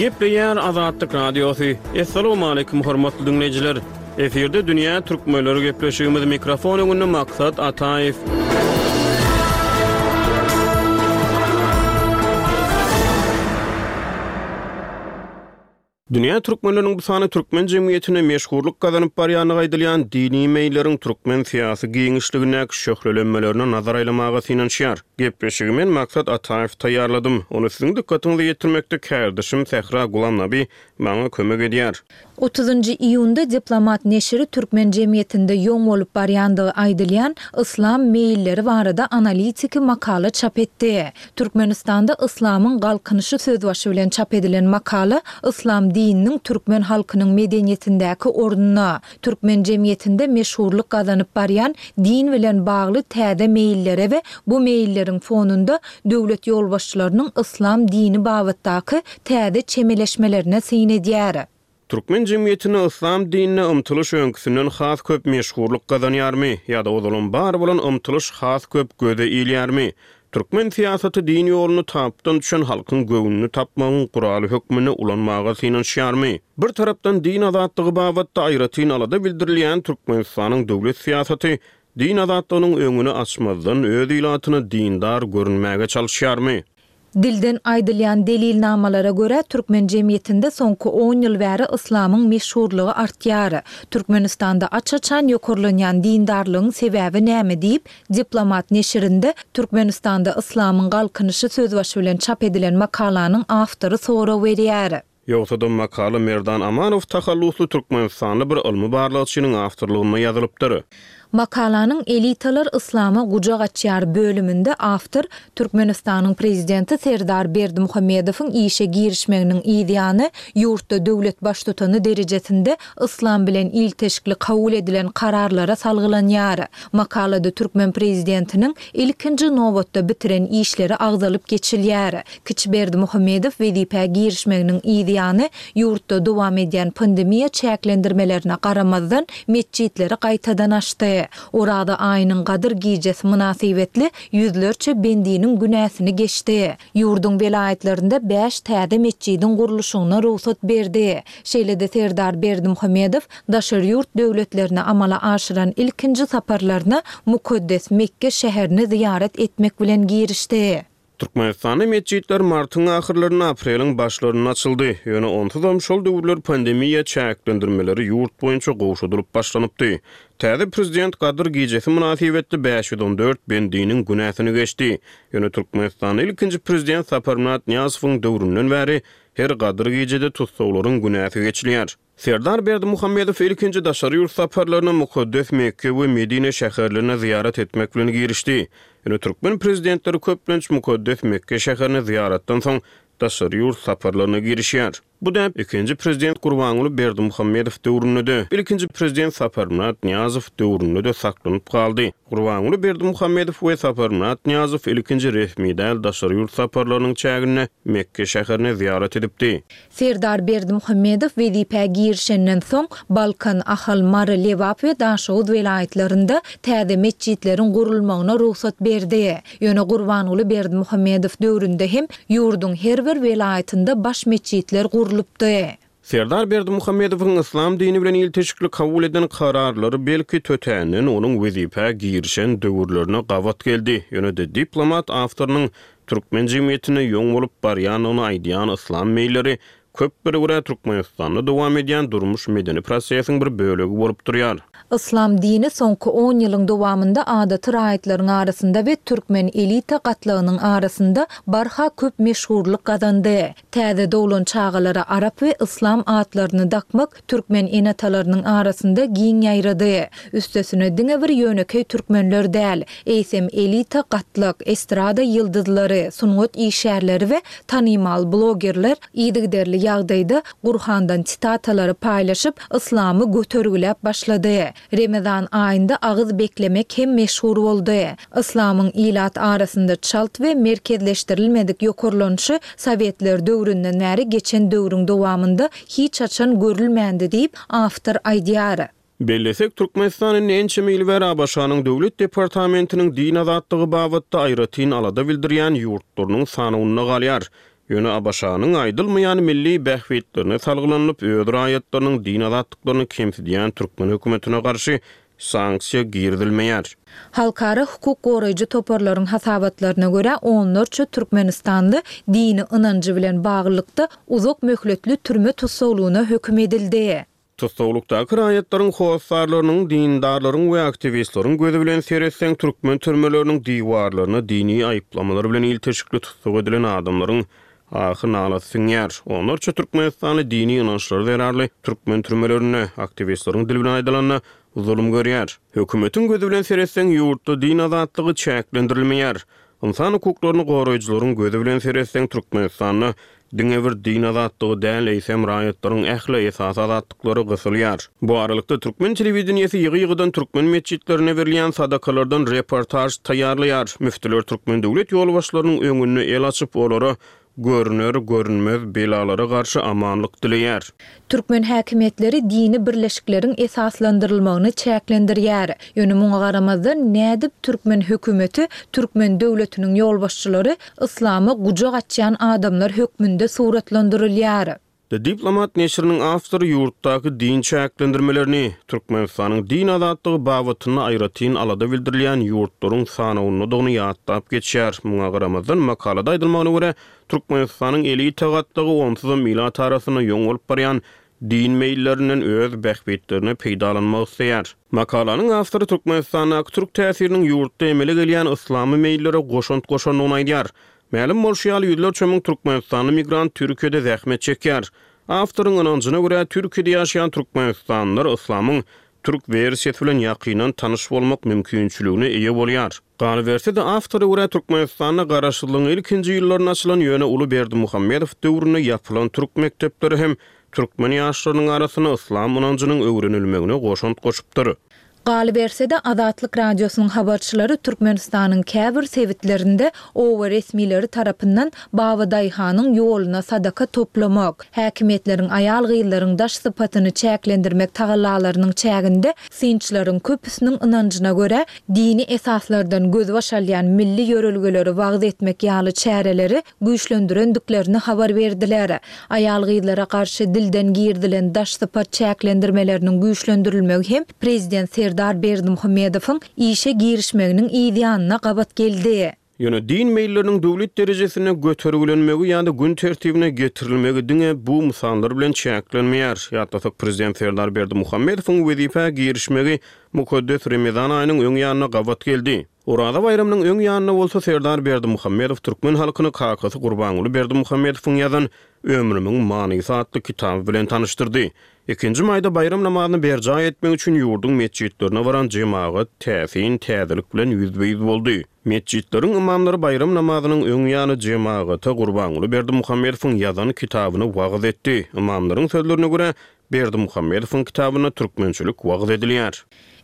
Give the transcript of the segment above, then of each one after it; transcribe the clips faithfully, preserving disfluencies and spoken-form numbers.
Gepleýär Azatlyk Radiosy. Assalamualaikum hormatly dinleýjiler. Efirde Dünýä Türkmenleri gepleşigimiz mikrofon öňünde Maksat Ataýew. Dünýä türkmenleriniň bu sany türkmen jemgyýetine meşhurlyk gazanyp barýandygy aýdylýan dini meýilleriň türkmen syýasy giňişligindäki şöhlelenmelerine nazar aýlamaga synanyşýar. Gepleşigi men Maksat Ataýew taýýarladym. Ony siziň dykgatyňyza ýetirmekde kärdeşim Sähra Gulamnabi maňa kömek edýär. Otuzynjy iýunda Diplomat neşiri türkmen jemgyýetinde ýoň bolup barýandygy aýdylýan yslam meýilleri barada analitiki makala çap etdi. Türkmenistanda yslamyň galkynyşy sözbaşy bilen çap edilen makala yslam dininiň türkmen halkynyň medeniýetindäki ornuna, türkmen jemgyýetinde meşhurlyk gazanyp barýan din bilen bagly täze meýillere we bu meýilleriň fonunda döwlet ýolbaşçylarynyň yslam dini babatdaky täze çemeleşmelerine syn edýär. Türkmen jemgyýetinde yslam dinine ymtylyş öňküsinden has köp meşhurlyk gazanýarmy ýa-da ozalam bar bolan ymtylyş has köp göze ilýärmi? Türkmen syýasaty din ýoluny tapdan düşen halkyň göwnüni tapmagyň guraly hökmünde ulanmaga synanyşýarmy? Bir tarapdan din azatlygy babatda aýratyn alada bildirilýän Türkmenistanyň döwlet syýasaty din azatlygynyň öňüni açmazdan öz ilatyna dindar görünmäge çalyşýarmy? Dilden aýdylýan delilnamalara görä, türkmen jemgyýetinde soňky on ýyl bäri yslamyň meşhurlygy artýar. Türkmenistanda aç-açan ýokarlanýan dindarlygyň sebäbi näme diýip, Diplomat neşirinde Türkmenistanda yslamyň galkynyşy sözbaşy bilen çap edilen makalanyň awtory sorag berýär. Ýogsa-da makala Merdan Amanow tahallusly türkmenistanly bir ylmy barlagçynyň awtorlygynda ýazylypdyr. Makalanyň Elitalar yslama gujak açýar bölüminde awtor Türkmenistanyň prezidenti Serdar Berdimuhamedowyň işe girişmeginiň yz ýany ýurtda döwlet baştutany derejesinde yslam bilen ilteşikli kabul edilen kararlara salgylanýar. Makalada türkmen prezidentiniň ilkinji nobatda bitiren işleri agzalyp geçilýär. Kiçi Berdimuhamedow wezipä girişmeginiň yz ýany ýurtda dowam edýän pandemiýa çäklendirmelerine garamazdan metjitleri gaýtadan açdy. Oraza aýynyň Gadyr gijesi mynasybetli ýüzlerçe bendiniň günäsini geçdi. Ýurduň welaýatlarynda bäş täze metjidiň gurluşygyna rugsat berdi. Şeýle-de Serdar Berdimuhamedow daşary ýurt döwletlerine amala aşyran ilkinji saparlaryna mukaddes Mekke şäherini zyýarat etmek bilen girişdi. Türkmenistanda metjitler martyň ahyrlarynda, apreliň başlarynda açyldy. Ýöne onsuzam şol döwürler pandemiýa çäklendirmeleri ýurt boýunça gowşadylyp başlanypdy. Täze prezident Gadyr gijesi mynasybetli bäş ýüz on dört bendiniň günäsini geçdi. Ýöne Türkmenistanda ilkinji prezident Saparmyrat Nyýazowyň döwründen bäri her Gadyr gijede tussaglaryň günäsi geçilýär. Serdar Berdimuhamedow ilkinji daşary ýurt saparlaryna mukaddes Mekke we Medine şäherlerine zyýarat etmek bilen girişdi. Ýöne türkmen prezidentleri köplenç mukaddes Mekke şäherine zyýaratdan soň daşary ýurt saparlaryna girişýär. Bu däp ikinji prezident Gurbanguly Berdimuhamedow döwründe-de, ilkinji prezident Saparmyrat Nyýazow döwründe-de saklanyp galdy. Gurbanguly Berdimuhamedow we Saparmyrat Nyýazow ilkinji resmi däl daşary ýurt saparlarynyň çäginde Mekke şäherine zyýarat edipdi. Serdar Berdimuhamedow wezipä girişenden soň, Balkan, Ahal, Mary, Lebap we Daşoguz welaýatlarynda täze metjitleriň gurulmagyna rugsat berdi. Ýöne Gurbanguly Berdimuhamedow döwründe hem ýurduň her bir welaýatynda baş metjitler gurlupdy. Serdar Berdimuhamedowyň yslam dini bilen ilteşikli kabul eden kararlary belki tötänden onuň wezipä girişen döwürlerine gabat geldi. Ýöne-de diplomat awtorynyň türkmen jemgyýetinde ýoň bolup barýandygyny aýdýan yslam meýilleri köplere görä Türkmenistanda dowam edýän durmuş-medeni prosesiň bir bölegi bolup durýar. Yslam dini soňky on ýylyň dowamynda adaty raýatlaryň arasynda we türkmen elita gatlagynyň arasynda barha köp meşhurlyk gazandy. Täze doglan çagalara arap we yslam atlaryny dakmak türkmen ene-atalarynyň arasynda giň ýaýrady. Üstesine diňe bir ýönekeý türkmenler däl, eýsem elita gatlak, estrada ýyldyzlary, sungat işgärleri we tanymal blogerler yzygiderli ýagdaýda Gurhandan sitatalary paýlaşyp, yslamy götergiläp başlady. Remezan aýynda agyz beklemek hem meşhur boldy. Yslamyň ilat arasynda çalt we merkezleşdirilmedik ýokarlanyşy sowetler döwründen bäri geçen döwrüň dowamynda hiç haçan görülmändi diýip, awtor aýdýar. Bellesek, Türkmenistan indi ençeme ýyl bäri ABŞ-nyň Döwlet departamentiniň din azatlygy babatda aýratyn alada bildirýän ýurtlarynyň sanawynda galýar. Ýöne ABŞ-nyň aýdylmaýan milli bähbitlerine salgylanyp, öz raýatlarynyň din azatlyklaryny kemsidýän türkmen hökümetine garşy sanksiýa girizilmeýär. Halkara hukuk goraýjy toparlaryň hasabatlaryna görä, onlarça türkmenistanly dini ynanjy bilen baglylykda uzak möhletli türme tussaglygyna höküm edildi. Tussaglykdaky raýatlaryň hossarlarynyň, dindarlaryň we aktiwistleriň gözi bilen seretseň, türkmen türmeleriniň diwarlaryna dini aýyplamalar bilen ilteşikli tussag edilen adamlaryň ahy-nalasy siňýär. Onlarça türkmenistanly dini ynançlary zerarly türkmen türmelerinde, aktiwistleriň dili bilen aýdylanda, zulum görýär. Hökümetiň gözi bilen seretseň, ýurtda din azatlygy çäklendirilmeýär. Ynsan hukuklaryny goraýjylaryň gözi bilen seretseň, Türkmenistanda diňe bir din azatlygy däl, eýsem raýatlaryň ähli esasy azatlyklary gysylýar. Bu aralykda türkmen telewideniýesi ýygy-ýygydan türkmen metjitlerine berilýän sadakalardan reportaž taýýarlaýar. Müftüler türkmen döwlet ýolbaşçylarynyň öňünde el açyp, olara görüner-görünmez belalara garşy amanlyk dileýär. Türkmen häkimiýetleri dini birleşikleriň esaslandyrylmagyny çäklendirýär. Ýöne muňa garamazdan, nädip türkmen hökümeti, türkmen döwletiniň ýolbaşçylary yslama gujak açýan adamlar hökmünde suratlandyrylýar? The Diplomat neşiriniň awtory ýurtdaky din çäklendirmelerini, Türkmenistanyň din azatlygy babatynda aýratyn alada bildirilýän ýurtlaryň sanawyndadygyny ýatlap geçýär. Muňa garamazdan, makalada aýdylmagyna görä, Türkmenistanyň elita gatlagy onsuzam ilat arasynda ýoň bolup barýan din meýillerinden öz bähbitlerine peýdalanmak isleýär. Makalanyň awtory Türkmenistandaky türk täsiriniň ýurtda emele gelýän yslamy meýillere goşant goşandygyny aýdýar. Mälim bolşy ýaly, ýüzlerçe müň türkmenistanly migrant Türkiýede zähmet çekýär. Awtoryň ynanjyna görä, Türkiýede ýaşaýan türkmenistanlylar yslamyň türk wersiýasy bilen ýakyndan tanyş bolmak mümkinçiligine eýe bolýar. Galyberse-de, awtora görä, Türkmenistanda garaşsyzlygyň ilkinji ýyllarynda açylan, ýöne uly Berdimuhamedow döwründe ýapylan türk mekdepleri hem türkmen ýaşlarynyň arasynda yslam ynanjynyň öwrenilmegine goşant goşupdyr. Galyberse-de, Azatlyk Radiosynyň habarçylary Türkmenistanyň käbir sebitlerinde oba resmileri tarapyndan Babadaýhanyň ýoluna sadaka toplamak, häkimiýetleriň aýal-gyzlaryň daş sypatyny çäklendirmek tagallalarynyň çäginde synçylaryň köpüsiniň ynanjyna görä, dini esaslardan gözbaş alýan milli ýörelgeleri wagyz etmek ýaly çäreleri güýçlendirendiklerini habar berdiler. Aýal-gyzlara garşy dilden girizilen daş sypat çäklendirmeleriniň güýçlendirilmegi hem prezident Serdar Berdimuhamedowyň işe girişmeginiň yz ýanyna gabat geldi. Ýöne din meýilleriniň döwlet derejesinde götergilenmegi ýa-da gün tertibine getirilmegi diňe bu mysallar bilen çäklenmeýär. Ýatlasak, prezident Serdar Berdimuhamedowyň wezipä girişmegi mukaddes Remezan aýynyň öň ýanyna gabat geldi. Oraza baýramynyň öň ýanynda bolsa Serdar Berdimuhamedow türkmen halkyny kakasy Gurbanguly Berdimuhamedowyň ýazan Ömrümiň manysy atly kitaby bilen tanyşdyrdy. Ikinji maýda baýram namazyny berjaý etmek üçin ýurduň metjitlerine baran jemagat täsin täzelik bilen ýüzbe-ýüz boldy. Metjitleriň ymamlary baýram namazynyň öň ýany jemagata Gurbanguly Berdimuhamedowyň ýazan kitabyny wagyz etdi. Ymamlaryň sözlerine görä, Berdimuhamedowyň kitabynda türkmençilik wagyz edilýär.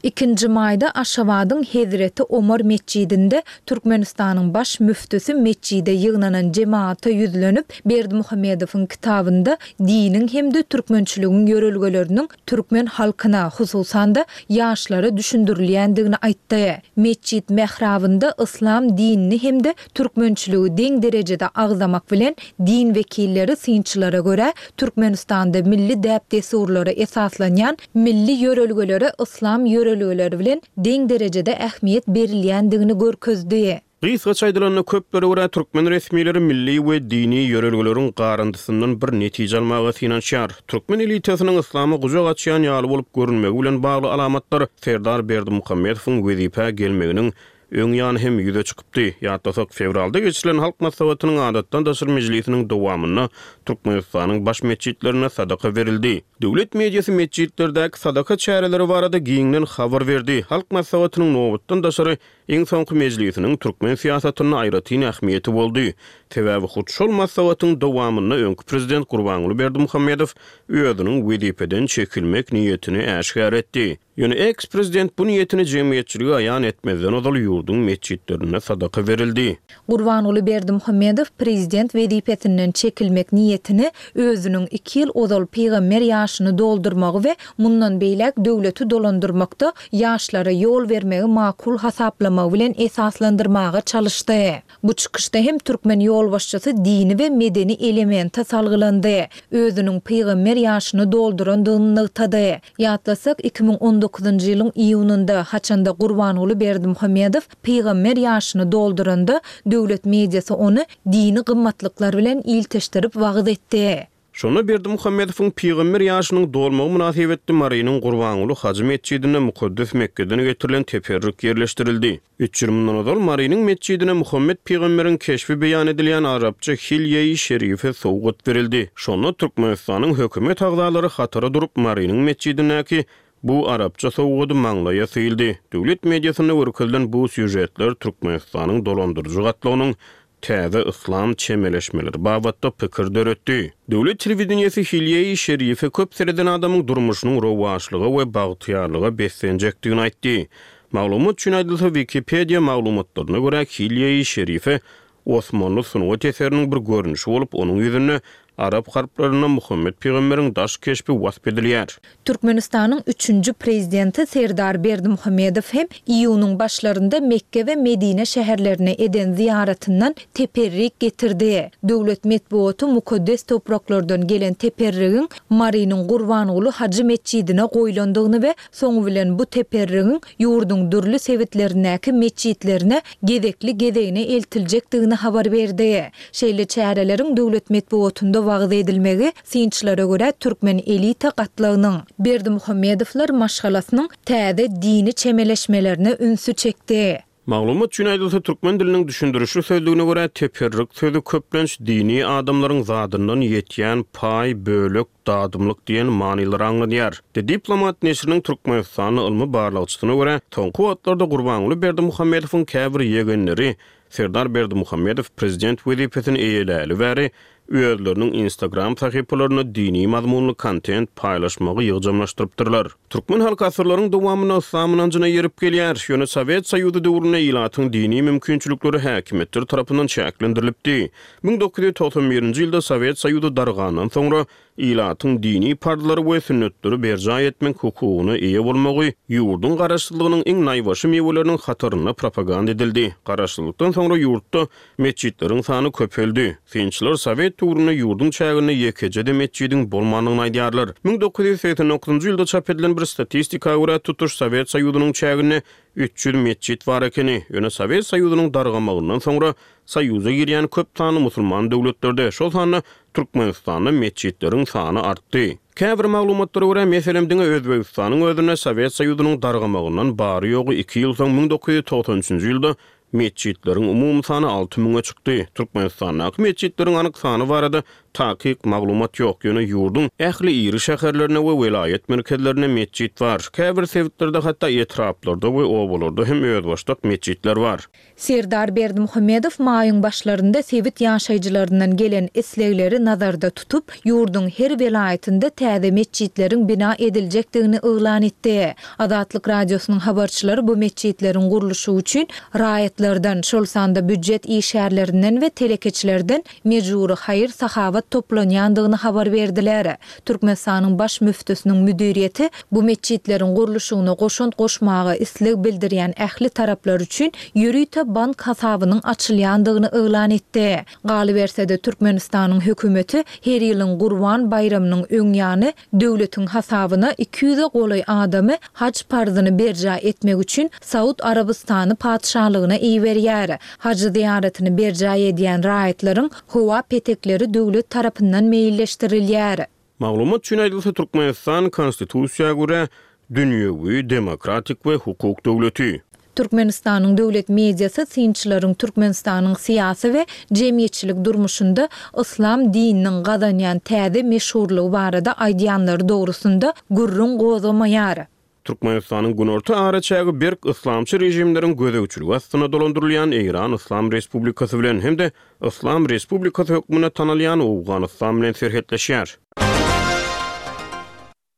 Ikinji maýda Aşgabadyň Hezreti Omar metjidinde Türkmenistanyň baş müftüsi metjide ýygnanan jemagata ýüzlenip, Berdimuhamedowyň kitabynda diniň hem-de türkmençiligiň ýörelgeleriniň türkmen halkyna, hususan-da, ýaşlara düşündirilýändigini aýtdy. Metjit mährabynda yslam dinini hem-de türkmençiligi deň derejede agzamak bilen, din wekilleri synçylara görä, Türkmenistanda milli däp-dessurlara esaslanýan milli ýörelgelere yslam ýörelgeleri bilen deň derejede ähmiýet berilýändigini görkezdi. Gysgaça aýdylanda, köplere görä, türkmen resmileri milli we dini ýörelgeleriň garyndysyndan bir netije almaga synanyşýar. Türkmen elitasynyň yslama gujak açýan ýaly bolup görünmegi bilen bagly alamatlar Serdar Berdimuhamedowyň wezipä gelmeginiň öň ýany hem ýüze çykypdy. Ýatlasak, fewralda geçirilen Halk Maslahatynyň adatdan daşary mejlisiniň dowamynda Türkmenistanyň baş metjitlerinde sadaka berildi. Döwlet mediasy metjitlerdäki sadaka çäreleri barada giňden habar berdi. Halk Maslahatynyň nobatdan daşary iň soňky mejlisiniň türkmen syýasatynda aýratyn ähmiýeti boldy. Sebäbi hut şol maslahatyň dowamynda öňki prezident Gurbanguly Berdimuhamedow özüniň wezipeden çekilmek niýetini äşgär etdi. Ýöne eks-prezident bu niýetini jemgyýetçilige aýan etmezden ozal ýurduň metjitlerinde sadaka berildi. Gurbanguly Berdimuhamedow prezident wezipesinden çekilmek niýetini özüniň iki ýyl ozal pygamber ýaşyny doldurmagy we mundan beýläk döwleti dolandyrmakda ýaşlara ýol bermegi makul hasaplamagy bilen esaslandyrmaga çalyşdy. Bu çykyşda hem türkmen ýolbaşçysy dini we medeni elemente salgylandy, özüniň pygamber ýaşyny doldurandygyny nygtady. Ýatlasak, iki müň on dokuzynjy ýylyň iýunynda, haçanda Gurbanguly Berdimuhamedow pygamber ýaşyny dolduranda, döwlet mediasy ony dini gymmatlyklar bilen ilteşdirip wagyz etdi. Şonda Berdimuhamedowyň pygamber ýaşynyň dolmagy mynasybetli Marynyň Gurbanguly hajy metjidinde mukaddes Mekgeden getirilen teperrik ýerleşdirildi. Üç ýyl mundan ozal Marynyň metjidine Muhammet pygamberiň keşbi beýan edilýän arapça hilýe-i şerife sowgat berildi. Şonda Türkmenistanyň hökümet agzalary hatara durup Marynyň metjidindäki bu arapça sowgady maňlaýa syýyldy. Döwlet mediasynda görkezilen bu sýužetler Türkmenistanyň dolandyryjy gatlagynyň täze yslam çemeleşmeleri babatda pikir döretdi. Döwlet telewideniýesi hilýe-i şerife köp sereden adamyň durmuşynyň rowaçlyga we bagtyýarlyga beslenjekdigini aýtdy. Maglumat üçin aýdylsa, Wikipedia maglumatlaryna görä hilýe-i şerife Osmanly sungat eseriniň bir görnüşi bolup, onuň ýüzünde arap harplarynda Muhammet pygamberiň daş keşbi wasp edilýär. Türkmenistanyň üçünji prezidenti Serdar Berdimuhamedow hem iýunyň başlarynda Mekke we Medine şäherlerine eden zyýaratyndan teperrik getirdi. Döwlet metbugaty mukaddes topraklardan gelen teperrigiň Marynyň Gurbanguly hajy metjidine goýlandygyny we soňy bilen bu teperrigiň ýurduň dürli sebitlerindäki metjitlerine gezekli-gezegine eltiljekdigini habar berdi. Şeýle çäreleriň döwlet metbugatynda wagyz edilmegi, synçylara görä, türkmen elita gatlagynyň, Berdimuhamedowlar maşgalasynyň täze dini çemeleşmelerine ünsi çekdi. Maglumat üçin aýdylsa, türkmen diliniň düşündirişli sözlügine görä, teperrik sözi köplenç dini adamlaryň zadyndan ýetýän paý, bölek, dadymlyk diýen manylary aňladýar. The Diplomat neşiriniň Türkmenistanly ylmy barlagçysyna görä, soňky wagtlarda Gurbanguly Berdimuhamedowyň käbir ýegenleri Serdar Berdimuhamedow prezident wezipesini eýeläli bäri özleriniň Instagram sahypalarynda dini mazmunly kontent paýlaşmagy ýygjamlaşdyrypdyrlar. Türkmen halky asyrlaryň dowamynda yslam ynanjyna eýerip gelýär. Ýöne Sowet Soýuzy döwründe ilatyň dini mümkinçilikleri häkimiýetler tarapyndan çäklendirilipdi. Müň dokuz ýüz togsan birinji ýylda Sowet Soýuzy dargandan soňra ilatyň dini parzlary we sünnetleri berjaý etmek hukugyna eýe bolmagy ýurduň garaşsyzlygynyň iň naýbaşy miweleriniň hatarynda propaganda edildi. Garaşsyzlykdan soňra ýurtda metjitleriň sany köpeldi. Synçylar Sowet döwründe ýurduň çäginde ýekeje-de metjidiň bolmandygyny aýdýarlar. Müň dokuz ýüz segsen dokuzynjy ýylda çap edilen bir statistika görä tutuş Sowet Soýuzynyň çäginde üç ýüz metjit bar ekeni. Ýöne Sowet Soýuzynyň dargamagyndan soňra Soýuza girýän köp sanly musulman döwletlerde, şol sanda Türkmenistanda metjitleriň sany artdy. Käbir maglumatlara görä, meselem, diňe Özbegistanyň özünde Sowet Soýuzynyň dargamagyndan bary ýogy iki ýyl soň müň dokuz ýüz togsan üçünji ýylda metjitleriň umumy sany alty müňe çykdy. Türkmenistandaky metjitleriň anyk sany barada takyk maglumat ýok, ýöne ýurduň ähli iri şäherlerinde we welaýat merkezlerinde metjit bar. Käbir sebitlerde hatda etraplarda we obalarda hem özbaşdak metjitler bar. Serdar Berdimuhamedow maýyň başlarynda sebit ýaşaýjylaryndan gelen islegleri nazarda tutup, ýurduň her welaýatynda täze metjitleriň bina ediljekdigini yglan etdi. Azatlyk Radiosynyň habarçylary bu metjitleriň gurluşy üçin raýatlardan, şol sanda býujet işgärlerinden we telekeçilerden mejbury haýyr-sahawat toplanýandygyny habar berdiler. Türkmenistanyň baş müftüsiniň müdiriýeti bu metjitleriň gurluşygyna goşant goşmaga isleg bildirýän ähli taraplar üçin ýörite bank hasabynyň açylýandygyny yglan etdi. Galyberse-de Türkmenistanyň hökümeti her ýylyň Gurban baýramynyň öň ýany döwletiň hasabyna iki ýüze golaý adamy haç parzyny berjaý etmek üçin Saud Arabystany patyşalygyna iberýär. Haj zyýaratyny berjaý edýän raýatlaryň howa petekleri döwlet tarapyndan meýilleşdirilýär. Maglumat üçin aýdylsa, Türkmenistan konstitusiýa görä dünýewi, demokratik we hukuk döwleti. Türkmenistanyň döwlet mediasy synçylaryň Türkmenistanyň syýasy we jemgyýetçilik durmuşynda yslam dininiň gazanýan täze meşhurlygy barada aýdýanlary dogrusynda gürrüň gozgamaýar. Türkmenistanyň günorta araçägi berk yslamçy režimleriň gözegçiligi astynda dolandyrylýan Eýran Yslam Respublikasy bilen hem-de Yslam Respublikasy hökmünde tanalýan Owganystan bilen serhetleşýär.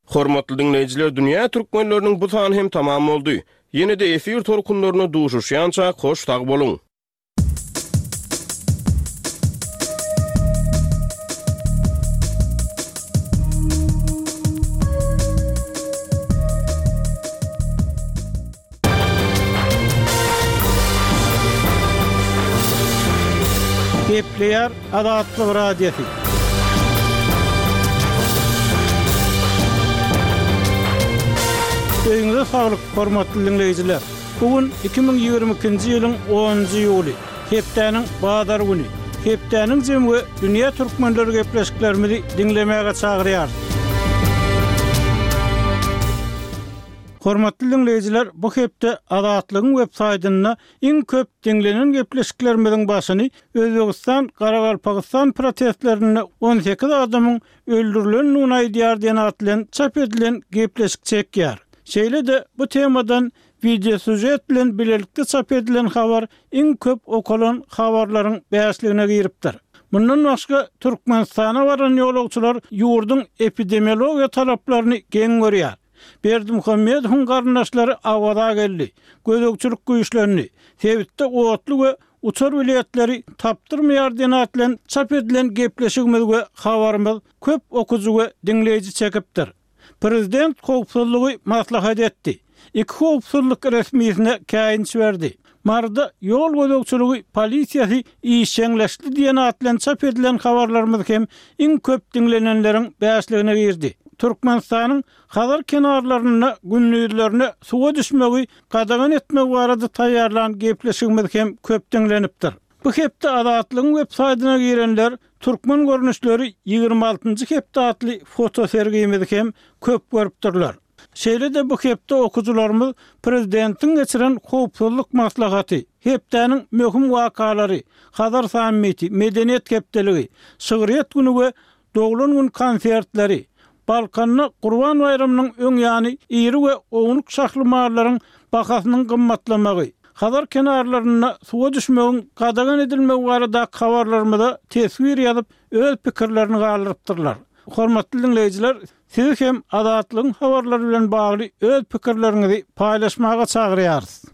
Hormatly diňleýjiler, dünýä türkmenleriniň bu sany hem tamam boldy. Ýene-de efir tolkunlaryna duşuşýança hoş sag boluň. Gepleýär Azatlyk Radiosy. Öýüňize saglyk, hormatly diňleýjiler. Bu gün iki müň ýigrimi ikinji ýylyň onunjy iýuly, hepdäniň bazar güni. Hepdäniň jemi we dünýä türkmenleri gepleşiklerimizi diňlemäge çagyrýar. Hormatly diňleýjiler, bu hepde Azatlygyň web saýtynda iň köp diňlenen gepleşiklerimiziň başyny Özbegistan Garagalpagystan protestlerinde on sekiz adamyň öldürilendigini aýdýar diýen at bilen çap edilen gepleşik çekýär. Şeýle-de bu temadan video süjet bilen bilelikde çap edilen habar iň köp okalan habarlaryň bäşligine giripdir. Mundan başga Türkmenistana baran ýolagçylar ýurduň epidemiologiýa talaplaryny geň görýär. Berdimuhamedowyň garyndaşlary Awaza geldi. Gözegçilik güýçlendi. Sebitde otly we uçar biletleri tapdyrmaýar diýen at bilen çap edilen gepleşigimiz we habarymyz köp okujy we diňleýji çekipdir. Prezident howpsuzlygy maslahat etdi. Iki howpsuzlyk resmisine käýinç berdi. Maryda ýol gözegçiligi polisiýasy işjeňleşdi diýen at bilen çap edilen habarlarymyz hem iň köp diňlenenleriň bäşligine girdi. Türkmenistanyň Hazar kenarlarynda gündizlerine suwa düşmegi gadagan etmek barada taýýarlan gepleşigimiz hem köp diňlenipdir. Bu hepde Azatlygyň web saýtyna girenler Türkmen görnüşleri ýigrimi altynjy hepde atly fotosergimizi hem köp görüpdirler. Şeýle-de bu hepde okujylarymyz prezidentiň geçiren howpsuzlyk maslahaty, hepdäniň möhüm wakalary, Hazar sammiti, medeniýet hepdeligi, şygryýet güni we doglan gün konsertleri, Balkanda Gurban baýramynyň öň ýany iri we ownuk şahly mallaryň bahasynyň gymmatlamagy, Hazar kenarlarynda suwa düşmegiň gadagan edilmegi baradaky habarlarymyza teswir ýazyp, öz pikirlerini galdyrypdyrlar. Hormatly diňleýjiler, sizi hem Azatlygyň habarlary bilen bagly öz pikirleriňizi paýlaşmaga çagyrýarys.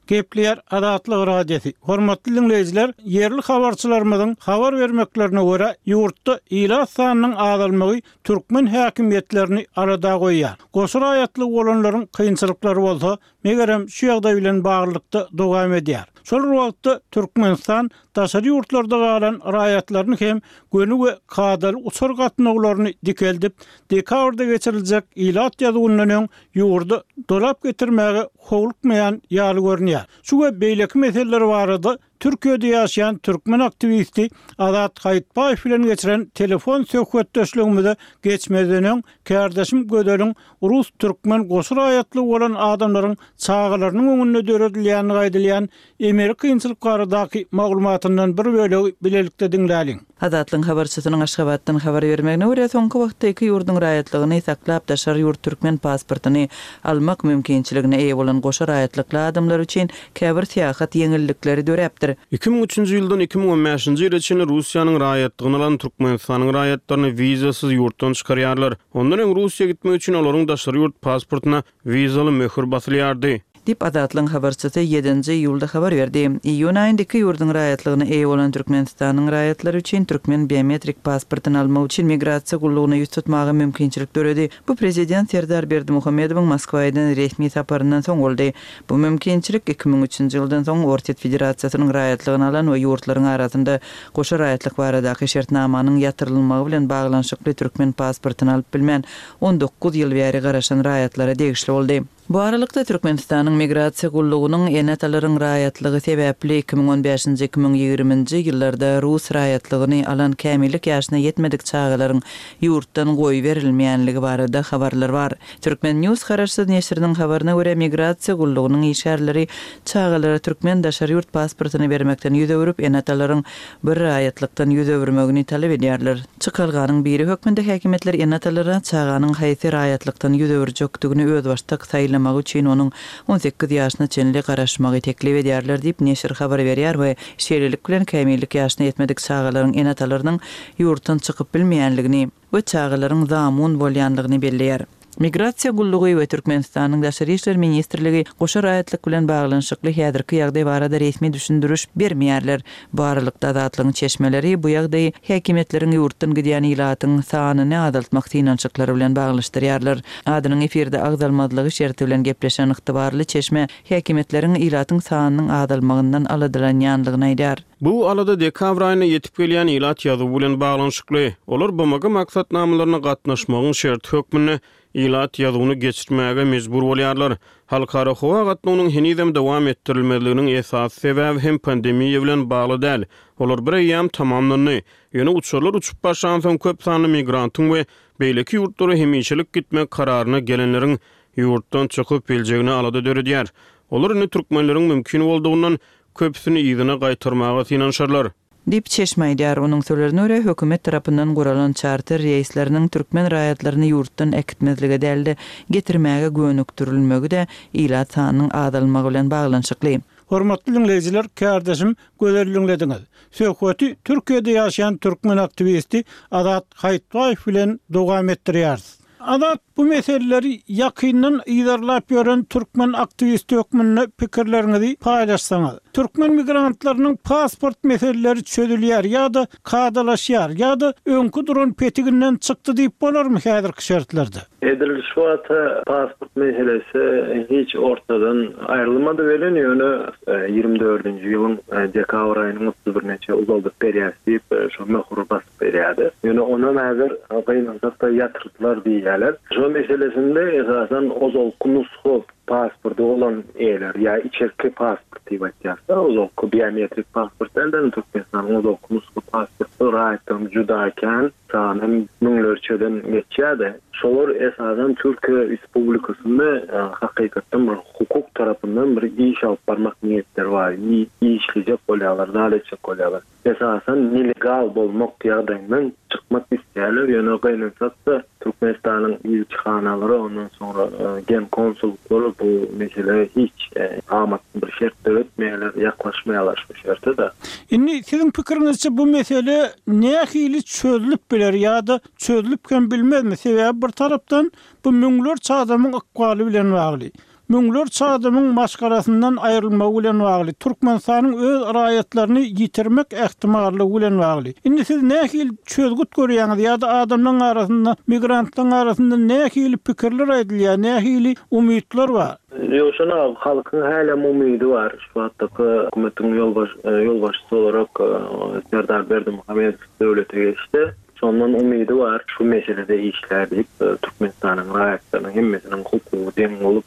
Gepleýär Azatlyk Radiosy. Hormatly diňleýjiler, ýerli habarçylarymyzyň habar bermeklerine görä, ýurtda ilat sanynyň azalmagy türkmen häkimiýetlerini arada goýýar. Goşa raýatly bolanlaryň kynçylyklary bolsa, megerem şu ýagdaý bilen baglylykda dowam edýär. Şol bir wagtda Türkmenistan daşary ýurtlarda galan raýatlaryny hem göni we kadaly uçar gatnawlaryny dikeldip, dekabrda geçiriljek ilat ýazuwyndan öň ýurda dolap getirmäge howlukmaýan ýaly görünýär. Şu we beýleki meseleler barada Türkiýede ýaşaýan türkmen aktiwisti Azat Haýytbaýew bilen geçiren telefon söhbetdeşligimize geçmezden öň kärdeşim Gözeliň Rus türkmen goşa raýatly bolan adamlaryň çagalarynyň öňünde döredilýänligi aýdylýan emeli kynçylyk baradaky maglumatyndan bir bölegi bilelikde diňläliň. Azatlygyň habarçysynyň Aşgabatdan habar bermegine görä, soňky wagtda iki ýurduň raýatlygyny saklap daşary ýurt türkmen pasportyny almak mümkinçiligine eýe bolan goşa raýatlykly adamlar üçin käbir syýahat ýeňillikleri döräpdir. Iki müň üçünji ýyldan iki müň on bäşinji ýyla çenli Russiýanyň raýatlygyny alan Türkmenistanyň raýatlaryny wizasyz ýurtdan çykarýarlar. Ondan öň Russiýa gitmek üçin olaryň daşary ýurt pasportyna wizaly möhür basylýardy. Diýip Azatlygyň habarçysy ýedinji iýulda habar berdi. Iýun aýynda iki ýurduň raýatlygyna eýe bolan Türkmenistanyň raýatlary üçin türkmen biometrik pasportyny almak üçin migrasiýa gullugyna ýüz tutmaga mümkinçilik döredi. Bu prezident Serdar Berdimuhamedowyň Moskwa eden resmi saparyndan soň boldy. Bu mümkinçilik iki müň üçünji ýyldan soň Orsýet Federasiýasynyň raýatlygyny alan we ýurtlaryň arasynda goşa raýatlyk baradaky şertnamanyň ýatyrylmagy bilen baglanyşykly türkmen pasportyny alyp bilmän on dokuz ýyl bäri garaşan raýatlara degişli boldy. Bu aralykda Türkmenistanyň migrasiýa gullugynyň ene-atalaryň raýatlygy sebäpli iki müň on bäşinji, iki müň ýigriminji ýyllarda rus raýatlygyny alan kämillik ýaşyna ýetmedik çagalaryň ýurtdan goýberilmeýänligi barada habarlar bar. Türkmen News garaşsyz neşiriniň habaryna görä, migrasiýa gullugynyň işgärleri çagalara türkmen daşary ýurt pasportyny bermekden ýüz öwrüp, ene-atalaryň bir raýatlykdan ýüz öwürmegini talap edýärler. Çykalganyň biri hökmünde häkimiýetler ene-atalara çaganyň haýsy raýatlykdan ýüz öwürjekdigini özbaşdak saýlamagy saýlamagy üçin onuň on sekiz ýaşyna çenli garaşmagy teklip edýärler diýip, neşir habar berýär we şeýlelik bilen kämillik ýaşyna ýetmedik çagalaryň ene-atalarynyň ýurtdan çykyp bilmeýänligini we çagalaryň zamun bolýanlygyny belleýär. Migrasiýa gullugy we Türkmenistanyň Daşary işler ministrligi goşa raýatlyk bilen baglanyşykly häzirki ýagdaý barada resmi düşündiriş bermeýärler. Bu aralykda Azatlygyň çeşmeleri bu ýagdaýy häkimiýetleriň ýurtdan gidýän ilatyň sanyny azaltmak synanyşyklary bilen baglaşdyrýarlar. Adynyň efirde agzalmazlygy şerti bilen gepleşen ygtybarly çeşme häkimiýetleriň ilatyň sanynyň azalmagyndan aladalanýanlygyny aýdýar. Bu alada dekabr aýyna ýetip gelýän ilat ýazuwy bilen baglanyşykly. Olar B M G maksatnamalaryna gatnaşmagyň şerti hökmünde ilat ýazuwyny geçirmäge mejbur bolýarlar. Halkara howa gatnawynyň henizem dowam etdirilmezliginiň esasy sebäbi hem pandemiýa bilen bagly däl. Olar bir eýýäm tamamlandy. Ýöne uçarlar uçup başlansoň köp sanly migrantyň we beýleki ýurtlara hemişelik gitmek kararyna gelenleriň ýurtdan çykyp biljegine alada döredýär. Olar indi türkmenleriň mümkin boldugyndan köpüsini yzyna gaýtarmaga synanyşarlar. Diýip çeşme aýdýar. Onuň sözlerine görä, hökümet tarapyndan guralan çarter reýsleriniň türkmen raýatlaryny ýurtdan äkitmezlige däl-de getirmäge gönükdirilmegi-de ilat sanynyň azalmagy bilen baglanyşykly. Hormatly dinleýjiler, kärdeşim Gözel dinlediňiz. Söhbeti Türkiýede ýaşaýan türkmen aktiwisti Azat Haýytbaýew bilen dowam etdirýäris. Azat, bu meseleleri ýakyndan yzarlap ýören türkmen aktiwisti hökmünde pikirleriňizi paýlaşsaňyz. Türkmen migrantlarynyň pasport meseleleri çözülýär ýa-da kadalaşýar ýa-da öňki duran petiginden çykdy diýip bolarmy häzirki şertlerde? Edil şu wagta pasport meselesi hiç ortadan aýrylmady welin, ýöne, e, ýigrimi dördünji ýylyň, e, dekabr aýynyň otuz birine uzaldyp berýär diýip, e, şo möhür basyp berýärdi. Ýöne onam häzir gynansak-da ýatyrdylar diýýärler. Şo meselesinde esasan ozalky nusga pasporty bolan eýeler ýa içerki pasport diýip aýtýarlar. Ozalky biometrik pasport däl-de, Türkmenistanyň ozalky nusga pasporty raýatlaryň juda kän sany müňlerçeden geçýärdi. Şolar esasan Türkiýe Respublikasynda, e, hakykatdan bir hukuk tarapyndan bir iş alyp barmak niýetleri bar. I-, işlejek bolýarlar, zat etjek bolýarlar. Esasan nelegal bolmak ýagdaýyndan çykmak isleýärler. Ýöne gynansak-da Türkmenistanyň ilçihanalary, ondan soňra, e, gen konsulluklary bu mesele hiç, e, amatly bir şert döretmeýärler, ýaklaşmaýarlar şu şerte-de. Indi siziň pikiriňizçe bu mesele nähili çözülip biler ýa-da çözülip hem bilmezmi? Sebäbi bir tarapdan bu müňlerçe adamyň ykbaly bilen bagly. Müňlerçe adamyň maşgalasyndan aýrylmagy bilen bagly. Türkmenistanyň öz raýatlaryny ýitirmek ähtimallygy bilen bagly. Indi siz nähili çözgüt görýäňiz ýa-da adamlaryň arasynda, migrantlaryň arasynda nähili pikirler aýdylýar, nähili umytlar bar? Ýoşana halkyň hälem umydy bar. Şu wagtdaky hökümetiň ýolbaş-, e, ýolbaşçysy olarak, e, Serdar Berdimuhamedow döwlete geçdi. Şondan umydy bar. Şu meselede işler diýip, e, Türkmenistanyň raýatlarynyň hemmesiniň hukugy deň bolup,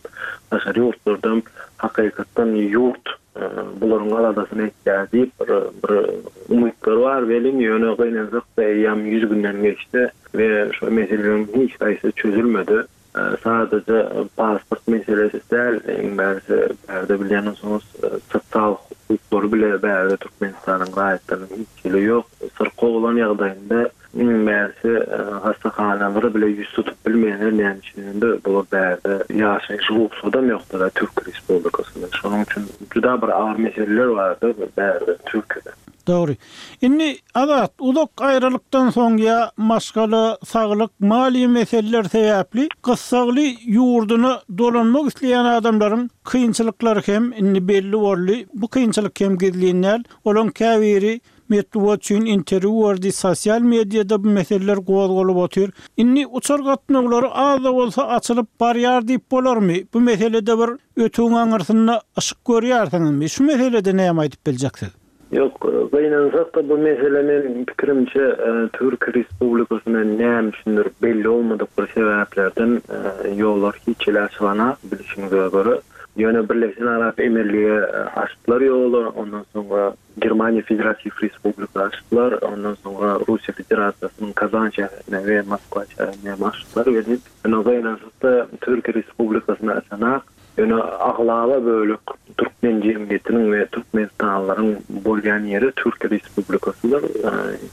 daşary ýurtlardan hakykatdan ýurt, e, bularyň aladasyny etýär diýip bir, bir umytlar bar. Welin ýöne gynansak-da eýýäm ýüz günden geçdi we şu meseleleriň hiç haýsy çözülmedi. E, sadece pasport meselesi däl, iň bärisi bärde bilýän bolsaňyz, e, sosial hukuklary bile bärde Türkmenistanyň raýatlarynyň hiç hili ýok. Syrkaw bolan ýagdaýynda iň bärisi, e, hastahanalary bile ýüz tutup bilmeýänler näme üçin bular bärde ýaşaýyş rugsadam ýokdur da Türk Respublikasynda. Şonuň üçin juda bir agyr meseleler bardy bärde Türkiýede. Dogry. Indi Azat, uzak aýralykdan soň ýa maşgala, saglyk, maliýe meseleler sebäpli gyssagly ýurduna dolanmak isleýän adamlaryň kynçylyklary hem indi belli boldy. Bu kynçylyk hem gizlin däl. Olaň käbiri metbugat üçin interwýu berdi, sosial mediada bu meseleler gozgalyp otyr. Indi uçar gatnawlary az-da bolsa açylyp barýar diýip bolarmy? Bu meselede bir ötüň aňyrsynda yşyk görýärsiňizmi? Şu meselede näme aýdyp biljeksiz? Ýok, gynansak-da bu mesele men pikirimçe, e, Türk Respublikasyna näme üçindir belli olmadyk bir sebäplerden, e, ýollar hiç hili açylana bilişiňize görä. Ýöne Birleşen Arap Emirligi, e, açdylar ýoly, ondan soňra Germaniýa Federatiw Respublikasy açdylar, ondan soňra Russiýa Federasiýasynyň Kazan şäherine we Moskwa şäherine hem açdylar. Ýöne gynansak-da Türk Respublikasyna açanak, ýöne aglaba bölek türkmen Türkmen jemgyýetiniň we türkmenistanlylaryň bolýan ýeri Türkiýe Respublikasydyr.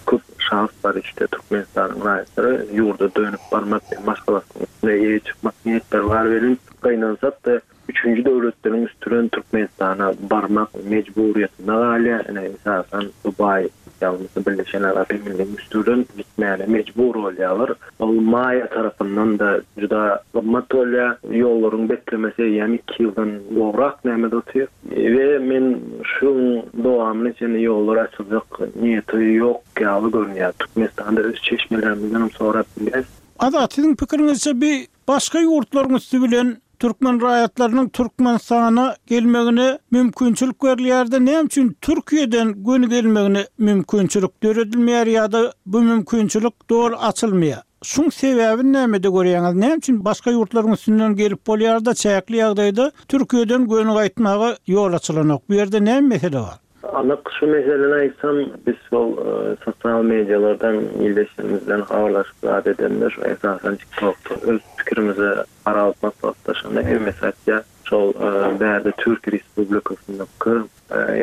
Köp şahs bar işte Türkmenistanyň raýatlary ýurda dönüp barmak we maşgalasyna eýe çykmak niýetleri bar welin gynansak-da üçünji döwletleriň üstünden Türkmenistana barmak mejburiýetinde galýar. Ine esasan Dubaý ýa-da Birleşen Arap Emirlikleriniň üstünden gitmäne mejbur bolýarlar. Ol maýa tarapyndan da juda gymmat bolýar. Ýollaryň beklemesi eýýäm iki ýyldan gowrak nämede otyr. We men şu dowamly çenli ýollar açyljak niýeti ýok ýaly görünýär. Türkmenistanda öz çeşmelerimizden sorap bilýäs. Azat, siziň pikiriňizçe bir başga ýurtlaryň üstü bilen türkmen raýatlarynyň Türkmenistana gelmegine mümkinçilik berilýär-de, näme üçin Türkiýeden göni gelmegine mümkinçilik döredilmeýär ýa-da bu mümkinçilik doly açylmaýar? Şuň sebäbini nämede görýäňiz? Näme üçin başga ýurtlaryň üstünden gelip bolýar-da, çäkli ýagdaýda Türkiýeden göni gaýtmaga ýol açylanok? Bu ýerde näme mesele bar? Anyk şu meseleni aýtsam, biz şol sosial medialardan ildeşlerimizden habarlaşyp zat edende, şu esasan TikTok'ta öz pikirimizi ara alyp maslahatlaşanda hemmesi aýtýar. Şol bärde Türkiýe Respublikasyndaky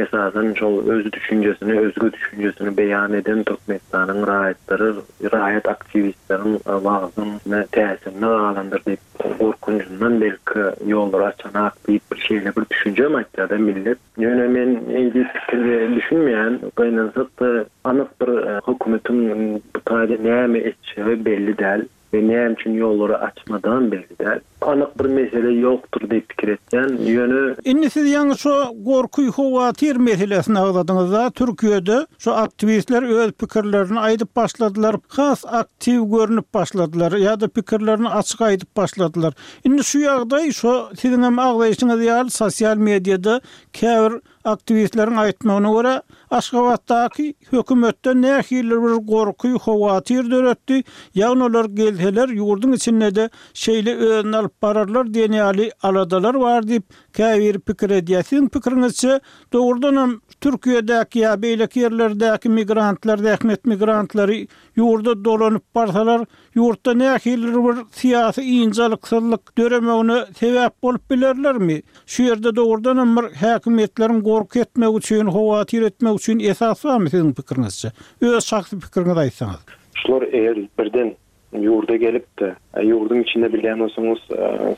esasan şol öz düşünjesini, özge düşünjesini beýan eden Türkmenistanyň raýatlary, raýat aktiwistleriň wagzyna täsirine galandyr diýip, gorkunjundan belki ýollar açanak diýip bir şeýle bir düşünje aýtýar-da millet. Ýöne men eýdi pikirde düşünmeýän, gynansak-da anyk bir hökümetiň bu taýda näme etjegi belli däl we näme üçin ýollary açmadan belli däl. Anyk bir mesele ýokdur diýip pikir etýän. Ýöne Indi siz ýaňy şu gorky howatyr meselesini agzadyňyzda, Türkiýede şu aktiwistler öz pikirlerini aýdyp başladylar, has aktiw görünip başladylar ýa-da pikirlerini açyk aýdyp başladylar. Indi şu ýagdaý şu siziň hem agzaýşyňyz ýaly sosial mediada käbir aktiwistleriň aýtmagyna görä Aşgabatdaky hökümetden nähili bir gorky howatyr döretdi, ýagny olar gelseler ýurduň içinde de şeýle özüni alyp bararlar diýen ýaly aladalar bar diýip käbir pikir edýär. Siziň pikiriňizçe dogrudanam Türkiýedäki ýa beýleki ýerlerdäki migrantlar, zähmet migrantlary ýurda dolanyp barsalar, ýurtda nähili bir syýasy ynjalyksyzlyk döremegine sebäp bolup bilerlermi? Şu ýerde dogrudanam bir häkimiýetleriň gorky etmek üçin, howatyr etmek üçin esas barmy siziň pikiriňizçe? Öz şahsy pikiriňizi aýtsaňyz. Şular eger birden ýurda gelip-de, ýurduň içinde bilýän bolsaňyz,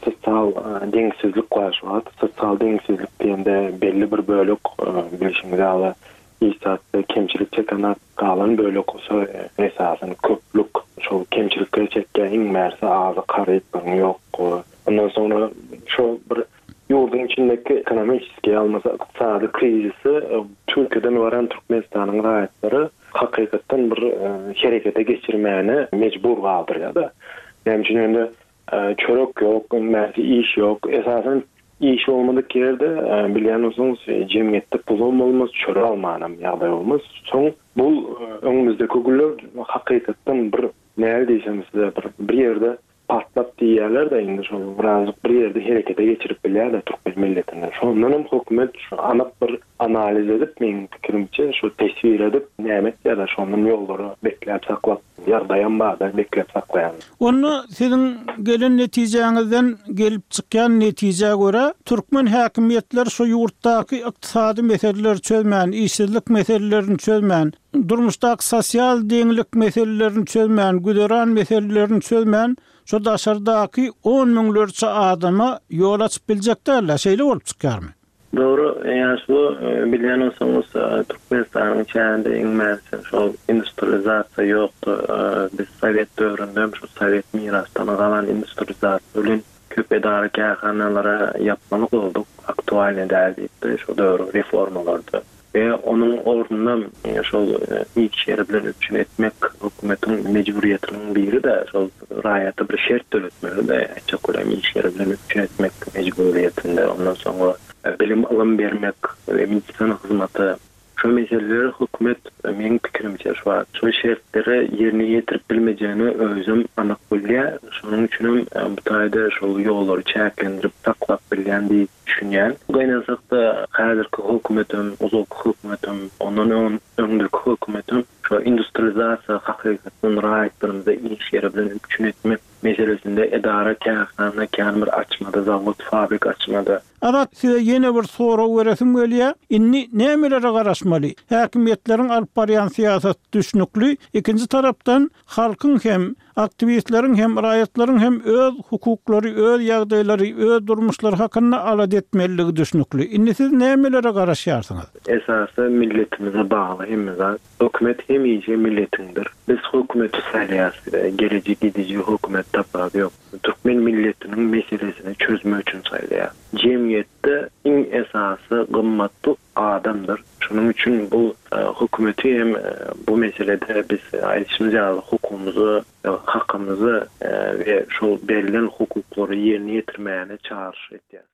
sosial deňsizlik bar şu wagt. Sosial deňsizlik diýende belli bir bölek bilşiňiz ýaly iş kemçilik çeken galan bölek bolsa esasan köplük şol kemçilikleri çekýän iň bärsi azyk harytlaryň ýok. Ondan soňra şol bir ýurduň içindäki ekonomiki almasa ykdysady krizisi Türkiýeden baran Türkmenistanyň raýatlary hakykatdan bir herekete geçirmäne mejbur galdyrýar-da. Näme üçin indi çörek ýok, indi iş ýok. Esasan iş bolmadyk ýerde bilýän bolsaňyz jemgyýetde pulum bolmaz, çörek almanam ýagdaý bolmaz. Soň bu öňümizdäki günler hakykatdan bir näme diýsem size bir bir ýerde patlap diýýärler-de indi şol birazjyk bir ýerde herekete geçirip bilýärler türkmen milletini. Şondan hem hökümet şu anyk bir analiz edip, meň pikirimçe şu teswir edip näme etýärler, şondan ýollary bekläp saklap, ýagdaýam bar-da bekläp saklaýan. Onda siziň gelen netijäňizden gelip çykýan netijä görä, türkmen häkimiýetler şu ýurtdaky ykdysady meseleleri çözmän, işsizlik meselelerini çözmän, durmuşdaky sosial deňlik meselelerini çözmän, güzeran meselelerini çözmän, şu daşardaky on müňlerçe adama ýol açyp biljek dälär, şeýle bolup çykýarmy? Dogry, ýaşly bilýän bolsaňyz, Türkmenistanyň çäginde iň bärsi şol industrializasiýa ýokdy. Biz Sowet döwründe hem şu Sowet mirasdan galan industrializasiýa bilen köp edara kärhanalara ýapmaly bolduk, aktualny däl diýip şu döwrüň reformalarda. We onuň ornuna şol iş ýeri bilen üpjün etmek hökümetiň mejburiýetiniň biri-de şol raýata bir şert döretmeli-de, aýtjak bolýan iş ýeri bilen üpjün etmek mejburiýetinde, ondan soňra bilim ylym bermek we medisina hyzmaty. Şu meseleleri hökümet meň pikirimçe şu wagt şu şertleri ýerine ýetirip bilmejegini özüm anyk bilýär. Şonuň üçin hem bu taýda şol ýollary çäklendirip saklap bilýän diýip düşünýän. Gynansak-da häzirki hökümetim, ozalky hökümetim, ondan öň öňdäki hökümetim Şo industrializasiýa hakykatdan raýatlarymyzy iş ýeri bilen üpjün etmek meselesinde edara kärhana kän bir açmady, zawod, fabrik açmady. Azat size ýene bir sorag beresim gelýär. Indi nämelere garaşmaly? Häkimiýetleriň alyp barýan syýasat düşnükli, ikinji tarapdan halkyň hem, aktiwistleriň hem, raýatlaryň hem öz hukuklary, öz ýagdaýlary, öz durmuşlary hakynda alada etmeliligi düşnükli. Indi siz nämelere garaşýarsyňyz? Esasy milletimize bagly hemme zat. Hökümet hemişe milletiňdir. Biz hökümeti saýlaýarys. Geliji gidiji hökümet tapawudy ýok. Türkmen milletiniň meselesini çözmek üçin saýlaýar. Jemgyýetde iň esasy gymmatly adamdyr. Şonuň üçin bu hökümeti hem bu meselede biz aýdyşymyz ýaly hukugymyzy, hakymyzy we şol berlen hukuklary ýerine ýetirmäge çagyryş etýär.